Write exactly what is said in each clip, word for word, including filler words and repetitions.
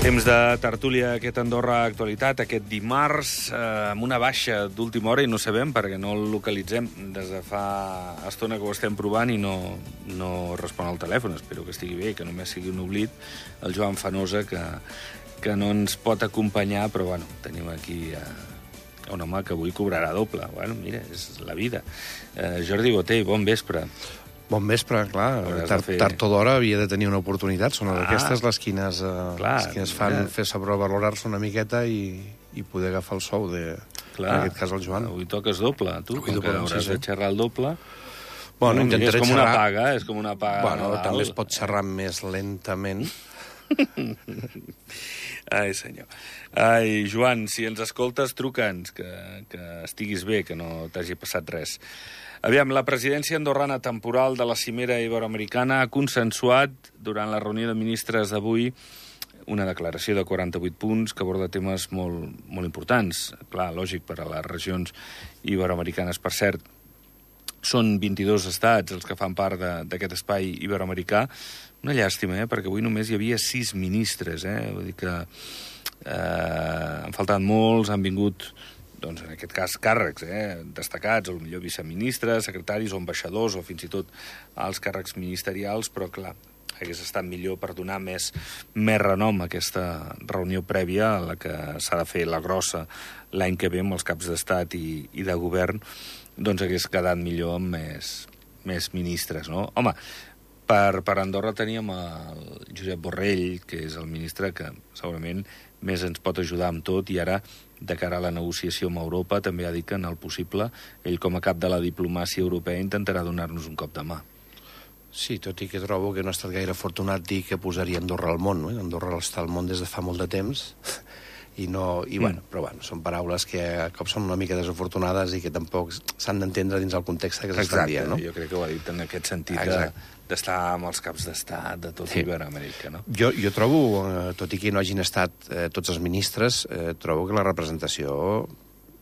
Temps de tertúlia, aquest Andorra Actualitat, aquest dimarts, eh, amb una baixa d'última hora, i no sabem perquè no el localitzem des de fa estona que ho estem provant i no, no respon al telèfon. Espero que estigui bé, que només sigui un oblit. El Joan Fanosa, que, que no ens pot acompanyar, però bueno, tenim aquí eh, un home que avui cobrarà doble. Bueno, mira, és la vida. Eh, Jordi Botey, bon vespre. Bon vespre, clar, tard, fer... tard o d'hora havia de tenir una oportunitat. Són ah, aquestes les quines, eh, clar, les quines fan mira. fer sobrevalorar-se una miqueta i, i poder agafar el sou de, clar, en aquest cas, el Joan. Avui toques doble, tu, avui com que hauràs sí, sí. de xerrar el doble. Bueno, no, intentaré és com xerrar... una paga, és com una paga. Bueno, també es pot xerrar més lentament. Ai, senyor. Ai, Joan, si ens escoltes, truca'ns, que, que estiguis bé, que no t'hagi passat res. Aviam, la presidència andorrana temporal de la Cimera Iberoamericana ha consensuat, durant la reunió de ministres d'avui, una declaració de quaranta-vuit punts que aborda temes molt, molt importants. Clar, lògic, per a les regions iberoamericanes. Per cert, són vint-i-dos estats els que fan part d'aquest espai iberoamericà. Una llàstima, eh? Perquè avui només hi havia sis ministres. Eh? Vull dir que eh, han faltat molts, han vingut... doncs en aquest cas càrrecs eh, destacats, o millor viceministres, secretaris o ambaixadors, o fins i tot els càrrecs ministerials, però clar, hagués estat millor per donar més, més renom a aquesta reunió prèvia a la que s'ha de fer la grossa l'any que ve amb els caps d'estat i, i de govern, doncs hagués quedat millor amb més, més ministres, no? Home, per, per Andorra teníem el Josep Borrell, que és el ministre que segurament més ens pot ajudar amb tot, i ara, de cara a la negociació amb Europa, també ha dit que en el possible, ell com a cap de la diplomàcia europea intentarà donar-nos un cop de mà. Sí, tot i que trobo que no ha estat gaire afortunat dir que posaria Andorra al món, no? Andorra està al món des de fa molt de temps, i no... I, mm. bueno, però bueno, són paraules que a cop són una mica desafortunades i que tampoc s'han d'entendre dins el context que s'estan dient, no? Jo crec que ho ha dit en aquest sentit de, d'estar amb els caps d'estat de tot sí. Iberoamèrica, no? Jo, jo trobo, eh, tot i que no hagin estat eh, tots els ministres, eh, trobo que la representació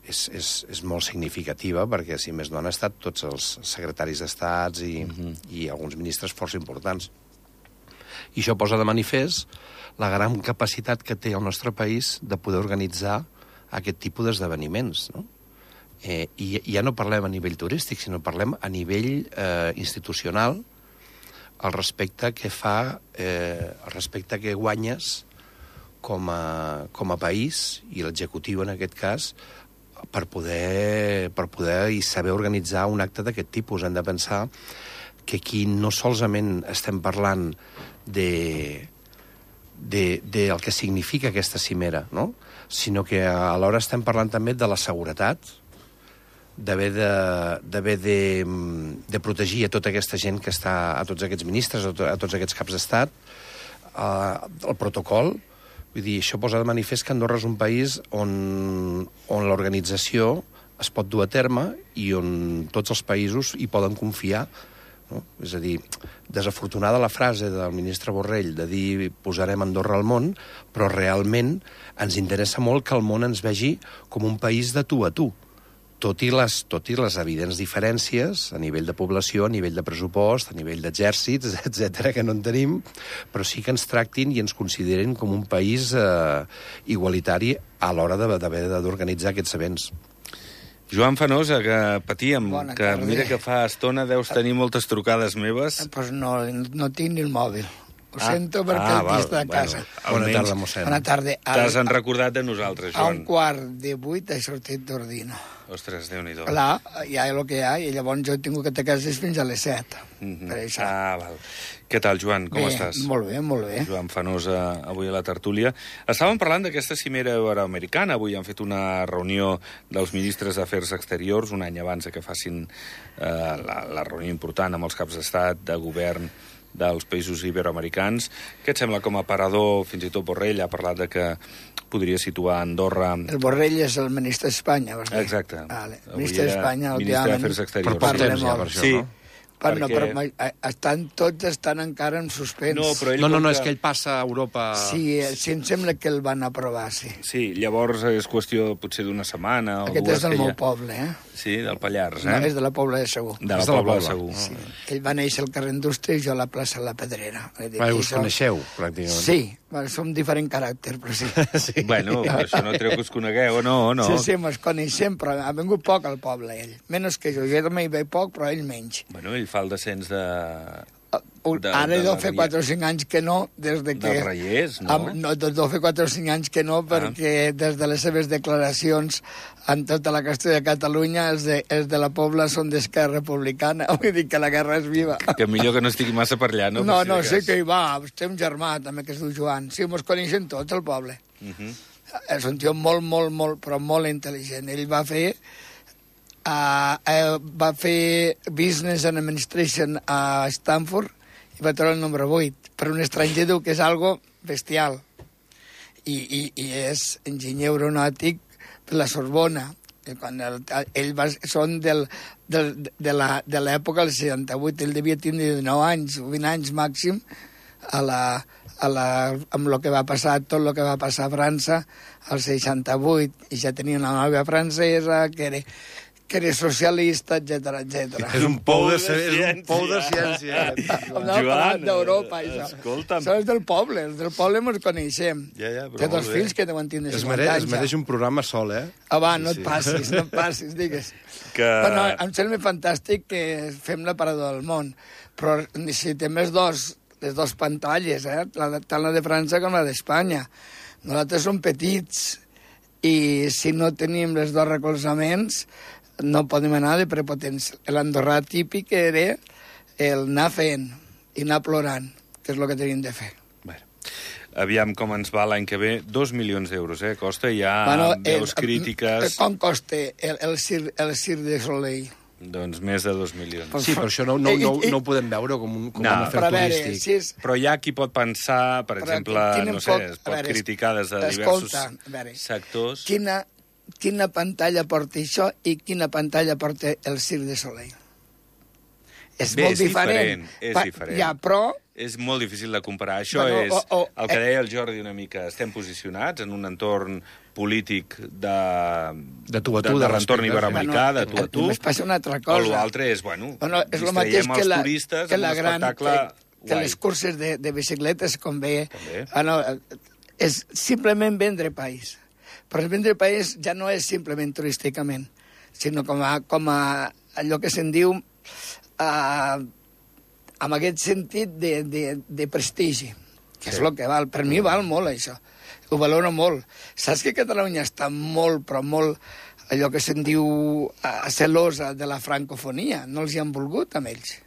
és, és, és molt significativa, perquè si més no han estat tots els secretaris d'estats i, uh-huh. i alguns ministres força importants. I això posa de manifest la gran capacitat que té el nostre país de poder organitzar aquest tipus d'esdeveniments, no? Eh, i, I ja no parlem a nivell turístic, sinó parlem a nivell eh, institucional, el respecte que fa, eh, el respecte que guanyes com a, com a país, i l'executiu en aquest cas, per poder, per poder i saber organitzar un acte d'aquest tipus. Hem de pensar que aquí no solament estem parlant de... del de, de que significa aquesta cimera, no? Sinó que alhora estem parlant també de la seguretat, d'haver de, d'haver de, de protegir a tota aquesta gent que està, a tots aquests ministres, a, to, a tots aquests caps d'estat, eh, el protocol. Vull dir, això posa de manifest que Andorra és un país on, on l'organització es pot dur a terme i on tots els països hi poden confiar. No? És a dir, desafortunada la frase del ministre Borrell de dir posarem Andorra al món, però realment ens interessa molt que el món ens vegi com un país de tu a tu, tot i les, tot i les evidents diferències a nivell de població, a nivell de pressupost, a nivell d'exèrcits, etcètera, que no en tenim, però sí que ens tractin i ens consideren com un país eh, igualitari a l'hora d'haver d'organitzar aquests events. Joan Fanosa, que patíem, Bona que tarda. mira que fa estona deus tenir moltes trucades meves. Doncs pues no, no tinc ni el mòbil. Ho ah, sento perquè ah, el està a casa. Bona tarda, mossèn. Bona tarda. T'has recordat de nosaltres, A Joan. un quart de vuit he sortit d'ordina. Ostres, Déu-n'hi-do. Clar, hi ha el que hi ha, i llavors jo he tingut que estar a casa fins a les set. Mm-hmm. Per això. Ah, val. Què tal, Joan? Com bé, estàs? Molt bé, molt bé. Joan Fanosa, avui a la tertúlia. Estàvem parlant d'aquesta cimera iberoamericana. Avui han fet una reunió dels ministres d'Afers Exteriors, un any abans que facin eh, la, la reunió important amb els caps d'estat, de govern dels països iberoamericans. Què et sembla com a parador? Fins i tot Borrell ha parlat de que podria situar Andorra... El Borrell és el ministre d'Espanya, vols dir? Exacte. Vale. Ministre d'Espanya, ministre d'Afers Exteriors. Per temps ja, per això, sí. no? Per, no, perquè... però estan, tots estan encara en suspens. No, però ell No, no, no, que... és que ell passa a Europa... Sí, sí, em sembla que el van aprovar, sí. Sí, llavors és qüestió potser d'una setmana o Aquest dues. és del meu ja... poble, eh? Sí, del Pallars, eh? No, és de la Pobla de Segur. De la És de la Pobla de Pobla. Segur. Sí. Ell va néixer al carrer Indústria i jo a la plaça La Pedrera. Ah, us coneixeu, pràcticament. Sí, Bueno, som diferent caràcter, però sí. Sí. Bueno, però això no treu que us conegueu, no, no. Sí, sí, mos coneixem, però ha vingut poc al poble, ell. Menys que jo. Jo també hi veig poc, però ell menys. Bueno, ell fa el descens de... Uh, de- Ara de deu la fer Riera. quatre o cinc anys que no, des de que... Dels Reiers, no? Am, no, deu fer quatre o cinc anys que no, perquè des de les seves declaracions en tota la qüestió de Catalunya, els de, els de la Pobla són d'Esquerra Republicana. Vull dir que la guerra és viva. Que millor que no estigui massa per allà, no? No, Per si no, de sé cas. que hi va. Té un germà, també, que es diu Joan. Sí, mos coneixen tots, el poble. Uh -huh. És un tio molt, molt, molt, però molt intel·ligent. Ell va fer... Uh, uh, va fer Business and Administration a Stanford i va treure el número vuit. Per un estranger diu que és algo bestial. I, i, i és enginyer aeronàutic per la Sorbona. I quan el, ell va, són del, del, de la- de l'època del seixanta-vuit. Ell devia tindre dinou anys, o vint anys màxim, a la, a la, amb el que va passar, tot el que va passar a França al seixanta-vuit, i ja tenia una nòvia francesa, que era, que era socialista, etcètera, etcètera. És un pou de, Pou de és un pou de ciència. No, parlant d'Europa, això. escolta'm. Això és del poble, els del poble ens coneixem. Ja, ja, però Té dos molt bé. fills que deuen tindre Es cinquanta mereix, anys. es ja. mereix un programa sol, eh? Ah, va, no Sí, et sí. passis, no et passis, digues. Que... Bueno, em sembla fantàstic que fem la parada del món, però necessitem les dos, les dos pantalles, eh? La de, tant la de França com la d'Espanya. Nosaltres som petits i si no tenim els dos recolzaments no podem anar de prepotents. L'andorrà típic era el anar fent i anar plorant, que és el que tenim de fer. Bueno, aviam com ens va l'any que ve. Dos milions d'euros, eh? Costa ja Bueno, veus el- crítiques... Com costa el, el, Cir, el Cir de Soleil? Doncs més de dos milions. Pues- Sí, però això no, no, no, I- i- no ho podem veure com un, com No, un afer Però a veure, turístic. si és... Però hi ha qui pot pensar, per Però exemple, quin no sé, enfoc- es a pot veure, criticar des de escolta, diversos a veure, sectors. Quina, quina pantalla porta això i quina pantalla porta el Cirque de Soleil? És Bé, molt és diferent. diferent, és Pa- diferent. Ja, però... És molt difícil de comparar. Això Bueno, és o- o- el que eh, deia el Jordi una mica. Estem posicionats en un entorn polític de... De tu a tu, de, de de l'entorn respecte. iberoamericà, de tu a tu. Només passa una altra O cosa. l'altre és, bueno, Bueno, és el distraiem mateix que, els la, turistes que amb la un gran... espectacle Que, que guai. les curses de, de bicicletes, com ve... També. Ah, no, és simplement vendre país. Però el vendre país ja no és simplement turísticament, sinó com a, com a allò que se'n diu eh, amb aquest sentit de, de, de prestigi, que Sí. és el que val. Per mi val molt, això. Ho valoro molt. Saps que Catalunya està molt, però molt, allò que se'n diu eh, celosa de la francofonia. No els hi han volgut, amb ells.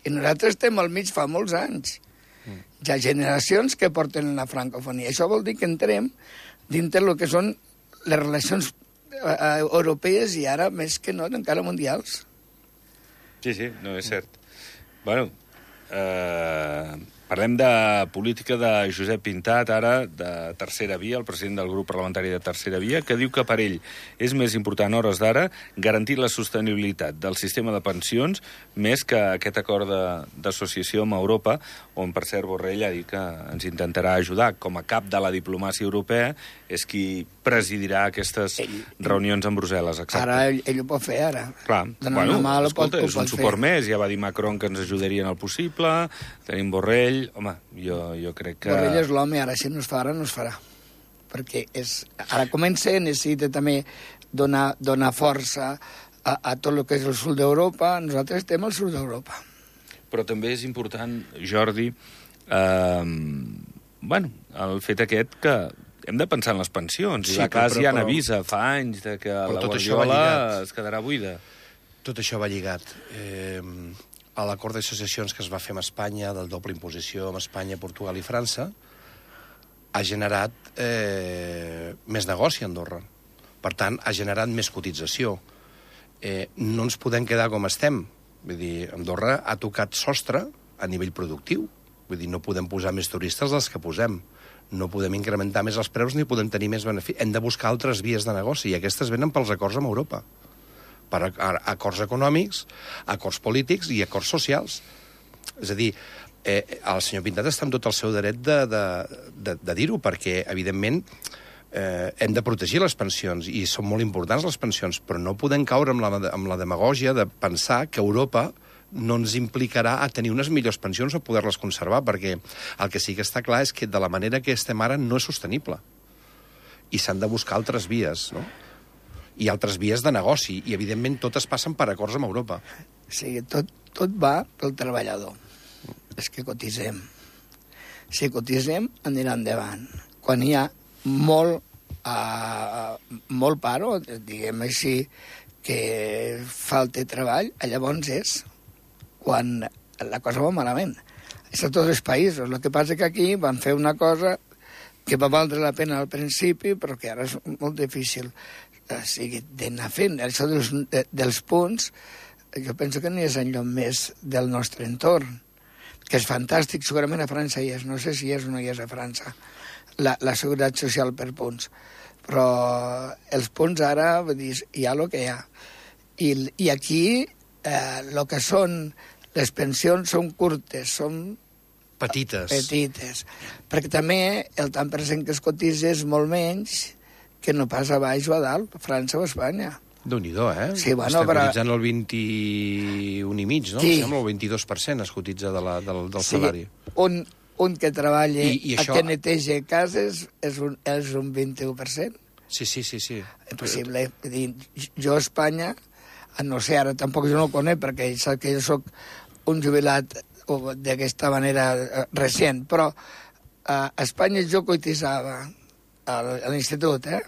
I nosaltres estem al mig fa molts anys. Hi ha generacions que porten la francofonia. Això vol dir que entrem dintre el que són les relacions eh, europees i ara, més que no, encara mundials. Sí, sí, no, és cert. Bueno, eh, parlem de política de Josep Pintat, ara, de Tercera Via, el president del grup parlamentari de Tercera Via, que diu que per ell és més important a hores d'ara garantir la sostenibilitat del sistema de pensions més que aquest acord de- d'associació amb Europa, on, per cert, Borrell ha dit que ens intentarà ajudar. Com a cap de la diplomàcia europea, és qui presidirà aquestes Ell- reunions amb Brussel·les, exacte. Ara ell, ell ho pot fer, ara. Clar, Donar bueno, una mà, ho escolta, pot- ho és un pot fer. suport més. Ja va dir Macron que ens ajudaria en el possible. Tenim Borrell. Home, jo, jo crec que... Borrell és l'home, ara si no es fa, ara no es farà. Perquè és, ara comença, necessita també donar, donar força a, a tot el que és el sud d'Europa. Nosaltres estem al sud d'Europa. Però també és important, Jordi, eh, bueno, el fet aquest que hem de pensar en les pensions. Sí, I la però- casa però- ja però- n'avisa fa anys de que la tot això va Guardiola lligat. es quedarà buida. Tot això va lligat. Eh, a l'acord d'associacions que es va fer amb Espanya, del doble imposició amb Espanya, Portugal i França, ha generat eh, més negoci a Andorra. Per tant, ha generat més cotització. Eh, no ens podem quedar com estem. Vull dir, Andorra ha tocat sostre a nivell productiu. Vull dir, no podem posar més turistes dels que posem. No podem incrementar més els preus ni podem tenir més beneficis. Hem de buscar altres vies de negoci, i aquestes venen pels acords amb Europa. Per a, a, acords econòmics, acords polítics i acords socials. És a dir, eh, el senyor Pintat està en tot el seu dret de, de, de, de dir-ho, perquè, evidentment, eh, hem de protegir les pensions, i són molt importants les pensions, però no podem caure amb la, amb la demagògia de pensar que Europa no ens implicarà a tenir unes millors pensions o poder-les conservar, perquè el que sí que està clar és que de la manera que estem ara no és sostenible. I s'han de buscar altres vies, no? I altres vies de negoci, i evidentment totes passen per acords amb Europa. O sigui, tot, tot va pel treballador. És que cotitzem. Si cotitzem, anirà endavant. Quan hi ha molt, uh, molt paro, diguem així, que falta treball, llavors és quan la cosa va malament. És a tots els països. El que passa que aquí van fer una cosa que va valdre la pena al principi, però que ara és molt difícil. O sigui, d'anar fent això dels, de, dels punts, jo penso que no és enlloc més del nostre entorn, que és fantàstic, segurament a França hi és, no sé si és o no hi és a França, la, la seguretat social per punts. Però els punts ara, vull dir, hi ha el que hi ha. I, i aquí el eh, que són les pensions són curtes, són petites. petites. Perquè també el tant per cent que es cotitza és molt menys que no pas a baix o a dalt, a França o a Espanya. Déu-n'hi-do, eh? Sí, bueno, Estem però... cotitzant el vint-i-un i mig, no? Sí. Sembla el vint-i-dos per cent es cotitza de la, del, del sí, salari. Un, un que treballa I, i això... a que neteja cases és un, és un vint-i-u per cent. Sí, sí, sí, sí. Impossible. Vull dir, jo a Espanya, no sé, ara tampoc jo no ho conec, perquè saps que jo sóc un jubilat d'aquesta manera recent, però a Espanya jo cotitzava a l'institut, eh?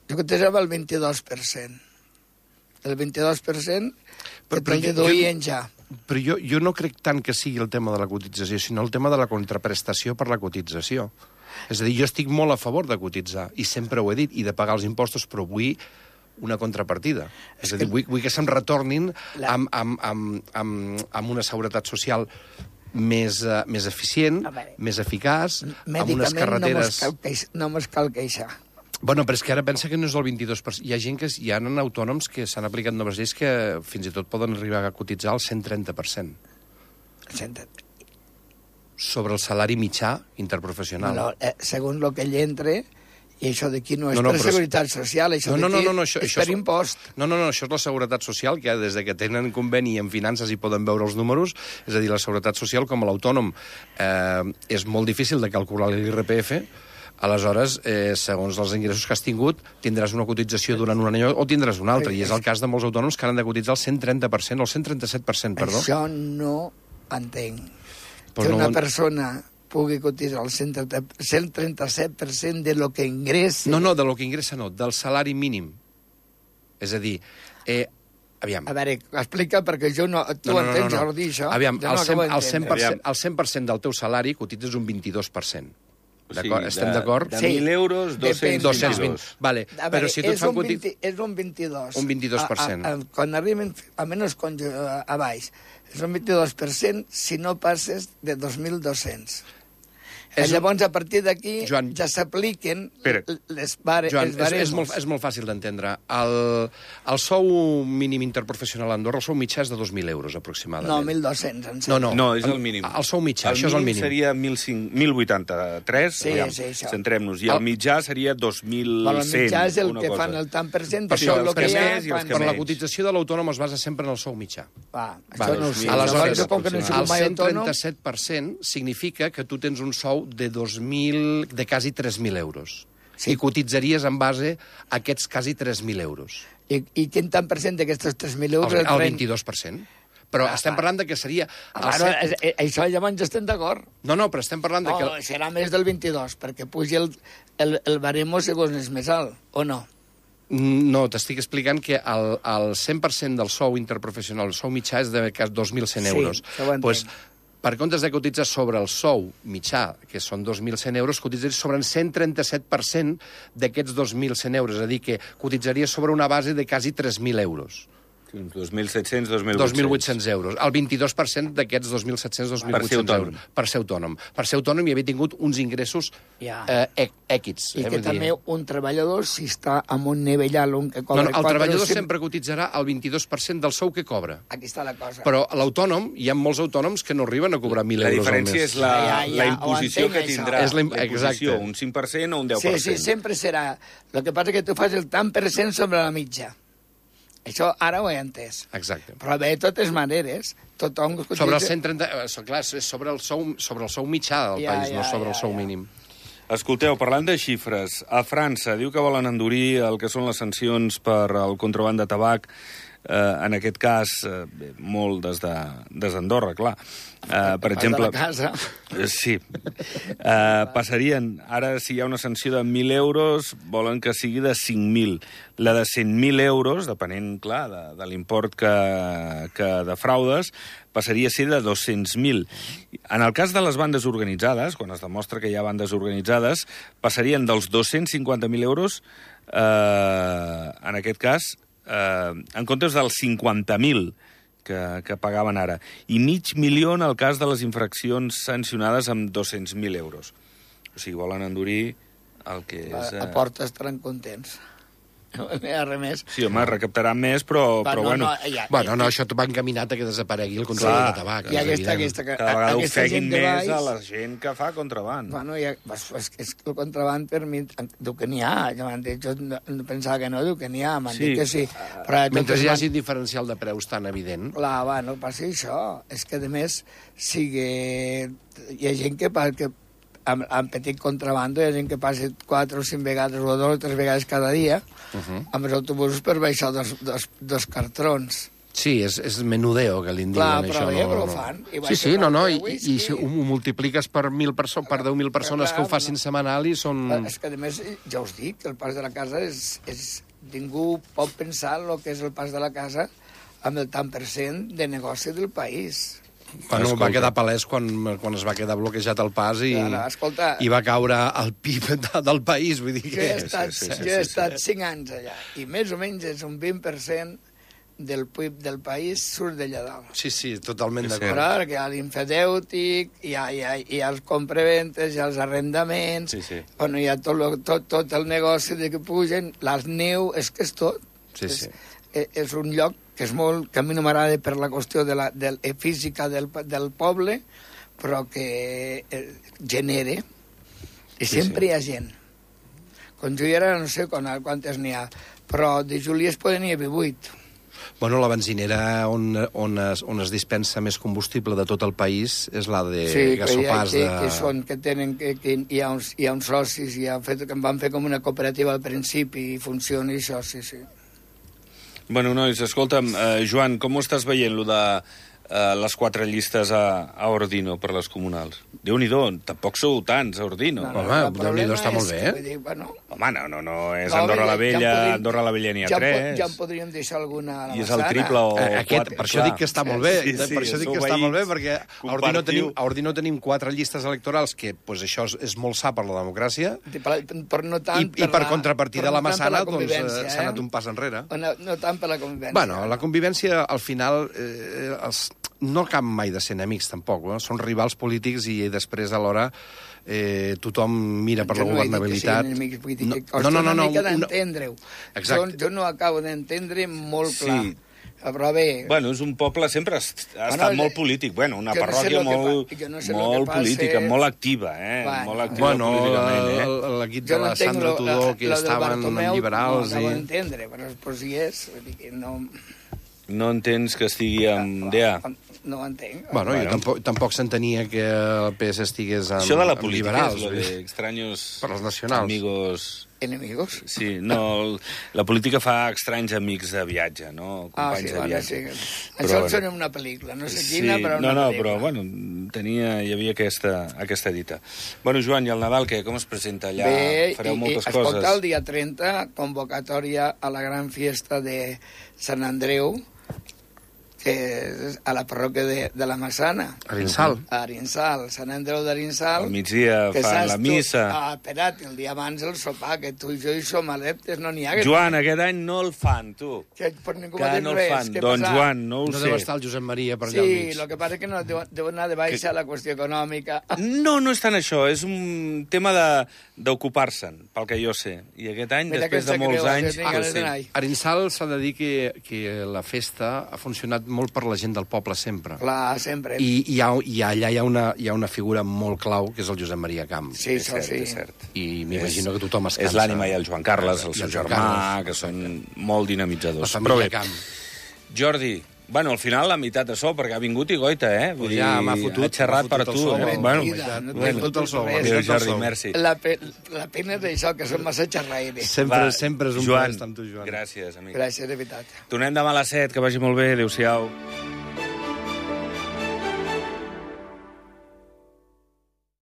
Jo cotitzava el vint-i-dos per cent. El vint-i-dos per cent que te'l deduïen ja. Però jo, jo no crec tant que sigui el tema de la cotització, sinó el tema de la contraprestació per la cotització. És a dir, jo estic molt a favor de cotitzar, i sempre ho he dit, i de pagar els impostos, però vull una contrapartida. És, és a dir, vull, vull que se'm retornin la... amb, amb, amb, amb, amb una seguretat social més, uh, més eficient, més eficaç, amb unes carreteres... No me'ls cal queixar. Bueno, però és que ara pensa que no és el vint-i-dos per cent. Hi ha gent que... Hi ha autònoms que s'han aplicat noves lleis que fins i tot poden arribar a cotitzar el cent trenta per cent. Sobre el salari mitjà interprofessional. No, eh, segons el que ell entre... I això d'aquí no és no, no, per seguretat social, això no, no, d'aquí no, no, això, és això per impost. No, no, no, això és la seguretat social, que des de que tenen conveni en finances i poden veure els números, és a dir, la seguretat social, com a l'autònom, eh, és molt difícil de calcular l'I R P F, aleshores, eh, segons els ingressos que has tingut, tindràs una cotització durant un any o tindràs una altra, i és el cas de molts autònoms que han de cotitzar el cent trenta per cent o el cent trenta-set per cent, perdó. Això no entenc. Pues que no, una no... persona pugui cotitzar el cent trenta-set per cent de lo que ingressa... No, no, de lo que ingressa no, del salari mínim. És a dir, eh, aviam... A veure, explica, perquè jo no... Tu no, no, entens, no, no. Jordi, això? Aviam, no el, cent, el, cent per cent, Aviam. el cent per cent del teu salari cotitzes un vint-i-dos per cent. O sigui, Estem d'acord? De, Sí. de mil euros, Depèn. dos-cents vint. Vale, A veure, però si tu et és, fan un cotit... vint, és un vint-i-dos. Un vint-i-dos per cent. A, a, a, quan arriben, a menys con, a, a baix, és un vint-i-dos per cent si no passes de dos mil dos-cents. És un... Llavors, a partir d'aquí, Joan... ja s'apliquen Espera. les, bare, Joan, els és, baremos. és, molt, és molt fàcil d'entendre. El, el sou mínim interprofessional a Andorra, el sou mitjà és de dos mil euros, aproximadament. No, mil dos-cents, em No, sembla. no. No, és el mínim. El sou mitjà, això és el mínim. seria mil vuitanta-tres, Sí, aviam, sí, això. centrem-nos, i el El- mitjà seria dos mil cent. Però el mitjà és el una que cosa. fan el tant per cent, Per això això, el els que que hi ha... més i els que Per la menys. cotització de l'autònom es basa sempre en el sou mitjà. Va, això Vale, no ho sé. aleshores, Aleshores, com que no he sigut el mai cent autònom... trenta-set per cent significa que tu tens un sou de dos mil, de quasi tres mil euros. Sí. I cotitzaries en base a aquests quasi tres mil euros. I, I quin tant per cent d'aquestos tres mil euros... El, el pren- vint-i-dos per cent. Però Ah, estem ah. parlant de que seria... El Ah, bueno, set... eh, eh, això llavors ja estem d'acord. No, no, però estem parlant de No, que... serà més del vint-i-dos, perquè pugi el, el, el baremo segons és més alt, o no? No, t'estic explicant que el, el cent per cent del sou interprofessional, el sou mitjà és de dos mil cent Sí, euros. això ho entenc. Pues, per comptes de cotitzar sobre el sou mitjà, que són dos mil cent euros, cotitzaries sobre el cent trenta-set per cent d'aquests dos mil cent euros. És a dir, que cotitzaries sobre una base de quasi tres mil euros. dos mil set-cents, dos mil vuit-cents. dos mil vuit-cents euros. El vint-i-dos per cent d'aquests dos mil set-cents, dos mil Per ser vuit-cents autònom. euros. Per ser autònom. Per ser autònom i haver tingut uns ingressos Ja. eh, èquits. I eh, que vull dir. també un treballador, si està amb un nivell alt, un que No, cobra... no, el quatre treballador o cinc- sempre cotitzarà el vint-i-dos per cent del sou que cobra. Aquí està la cosa. Però l'autònom, hi ha molts autònoms que no arriben a cobrar mil La euros al diferència mes. és la, Ja, ja, la ho imposició entenc, que això. tindrà. És la im- la imposició, exacte. un cinc per cent o un deu Sí, per sí, cent. sempre serà. El que passa és que tu fas el tant per cent sobre la mitja. Això ara ho he entès. Exacte. Però bé, de totes maneres, tothom... Sobre el cent trenta... Clar, és sobre el sou, sobre el sou mitjà del Ja, país, ja, no sobre ja, el sou ja. mínim. Escolteu, parlant de xifres, a França diu que volen endurir el que són les sancions per al contraban de tabac, eh, en aquest cas, eh, bé, molt des de, des d'Andorra, clar. Eh, per exemple... De la casa. Eh, Sí. Eh, passarien, ara si hi ha una sanció de mil euros, volen que sigui de cinc mil. La de cent mil euros, depenent, clar, de, de l'import que, que defraudes, passaria a ser de dos-cents mil. En el cas de les bandes organitzades, quan es demostra que hi ha bandes organitzades, passarien dels dos-cents cinquanta mil euros, eh, en aquest cas, eh, en comptes dels cinquanta mil que, que pagaven ara. I mig milió en el cas de les infraccions sancionades amb dos-cents mil euros. O sigui, volen endurir el que és... A, a porta estaran contents. No hi ha res més. Sí, home, recaptaran més, però, Va, però no, bueno... no, ja, Bueno, no, això va encaminat a que desaparegui el control Clar. de tabac. I és aquesta, evident. aquesta, Cada vegada aquesta ofeguin gent de més baix, a la gent que fa contraband. Bueno, ja, és, és que el contraband per mi, diu que n'hi ha, ja m'han dit, jo no, no pensava que no, diu que n'hi ha, m'han Sí. dit que sí. Però de Mentre totes hi man- hagi diferencial de preus tan evident... Clar, va, no passa això. És que, a més, sigui... Hi ha gent que, pa- que amb, amb petit contrabando, hi ha gent que passa quatre o cinc vegades o dues o tres vegades cada dia Uh -huh. amb els autobusos per baixar dos, dos, dos cartrons. Sí, és, és menudeo, que li en Clar, diuen però això. bé, no, però ho no. fan. I Sí, baixen sí, no, no, el i, whisky. i si ho multipliques per mil perso per deu mil persones Clar, que ho facin no. setmanal i són... És que, a més, ja us dic, el pas de la casa és... és ningú pot pensar el que és el pas de la casa amb el tant per cent de negoci del país. Bueno, Escolta. va quedar palès quan, quan es va quedar bloquejat el pas i, Ara, escolta, i va caure el P I B de, del país. Vull dir jo he que... estat, sí, sí, sí, jo he sí, estat sí. cinc anys allà i més o menys és un vint per cent del P I B del país surt d'allà dalt. Sí, sí, totalment És d'acord. Però ara que hi ha l'infedèutic, hi ha, hi, ha, hi ha els compraventes, hi ha els arrendaments, Sí, sí. bueno, hi ha tot, lo, tot, tot el negoci de que pugen, les neu, és que és tot. Sí, sí. És, és un lloc que és molt, que a mi no m'agrada per la qüestió de la de, de física del, del poble, però que eh, genere, i Sí, sempre sí. hi ha gent. Quan jo hi era, no sé quan, quantes n'hi ha, però de Juli es poden hi haver vuit. Bueno, la benzinera on, on, es, on es dispensa més combustible de tot el país és la de Sí, que, hi ha, Gasopars. que, de... que són, que tenen, que, que hi, ha uns, hi ha uns socis, i han fet, que en van fer com una cooperativa al principi, i funciona i això, sí, sí. Bueno, nois, escolta'm, eh, Joan, com ho estàs veient, lo de eh, les quatre llistes a, a Ordino per les comunals? Déu-n'hi-do, tampoc sou tants a Ordino. no. Home, el Déu-n'hi-do, problema està molt és bé. que, vull dir, bueno, Home, no, no, no, és no, Andorra la ja- ja Vella, en podríem- Andorra la Vella n'hi ha ja en po- tres. Ja en podríem deixar alguna a la I és el Massana. triple o Eh, Aquest, quatre, per això clar. dic que està molt bé, Sí, sí, per això dic sou que està molt bé, veïns, perquè a Ordino compartiu. tenim, a Ordino tenim quatre llistes electorals, que pues, això és, és molt sa per la democràcia, Per, per no tant i, i per la- contrapartida per la no tant per Massana la doncs, convivència, eh, s'ha anat un pas enrere. No, no tant per la convivència. Bueno, la convivència, al final, eh, els, no acaba mai de ser enemics, tampoc. Eh? Són rivals polítics i després, alhora, eh, tothom mira per Jo la no he dit que governabilitat. siguin enemics, vull dir No, que no, costa no, no, una mica una- d'entendre-ho. Exacte. Jo, jo no acabo d'entendre molt Sí. clar. Però bé... Bueno, és un poble, sempre ha est- ha Bueno, estat eh, molt polític. Bueno, una jo no sé parròquia lo que molt, pa- jo no sé lo molt que passa. política, molt activa, eh? Bueno, molt activa Bueno, políticament, eh? el- l'equip Jo de no la entenc Sandra lo- Tudor, la- que lo del estaven Bartomeu, liberals... No acabo i... d'entendre, però, però si és... Vull dir que no... No entens que estigui amb D A? No ho entenc. Bueno, Bueno. jo tampoc, tampoc s'entenia que el P S estigués amb, Això de la amb política liberals. és lo vull dir. de extraños Per als nacionals. amigos... Enemigos? Sí, no, el- la política fa estranys amics de viatge, no? Ah, Companys sí, de bueno, viatge. sí. Però, Això bueno. sona una pel·lícula, no sé quina, però no, una no, pel·lícula. però, bueno, tenia, hi havia aquesta, aquesta dita. Bueno, Joan, i el Nadal, què? Com es presenta allà? Bé, Fareu i, moltes i, coses. escolta, el dia trenta, convocatòria a la gran fiesta de Sant Andreu, que és a la parròquia de, de la Massana, Arinsal. a Arinsal, Sant Andreu d'Arinsal. Al migdia que fan saps la tu- missa. Ah, espera't, el dia abans el sopar, que tu i jo hi som adeptes, no n'hi ha... Que, Joan, aquest any no el fan, tu. que per ningú Que m'ha dit no el res. fan. Què Doncs, passa? Joan, no ho No sé. deu estar el Josep Maria per allà al Sí, mig. el que passa és que no deu, deu anar de baixa la qüestió econòmica. No, no és tant això, és un tema de- d'ocupar-se'n, pel que jo sé. I aquest any, Mira que després de em sap molts greu, anys... jo tinc ganes sí. d'anar-hi. Arinsal s'ha de dir que, que la festa ha funcionat molt per la gent del poble sempre. Clar, sempre. I, i, ha, i allà hi ha, una, hi ha una figura molt clau, que és el Josep Maria Camp. Sí, És això cert, sí. és cert. I m'imagino que tothom es cansa. És l'ànima i el Joan Carles, el I seu el Joan germà, Carles, que són molt dinamitzadors. La Però família bé, Camp. Jordi, bueno, al final la meitat de sol, perquè ha vingut i goita, eh? Pues ja m'ha fotut, ha xerrat m'ha per fotut tu, el sol. eh? Bueno, Bueno, no M'he fotut el sol. res. Adéu, m'he fotut el Jordi, sol. merci. La, pe la pena és d'això, que som massa xerraires. Sempre, Va, sempre és un Joan, plaer estar amb tu, Joan. gràcies, amic. Gràcies, de veritat. Tornem demà a les set, que vagi molt bé, adéu-siau.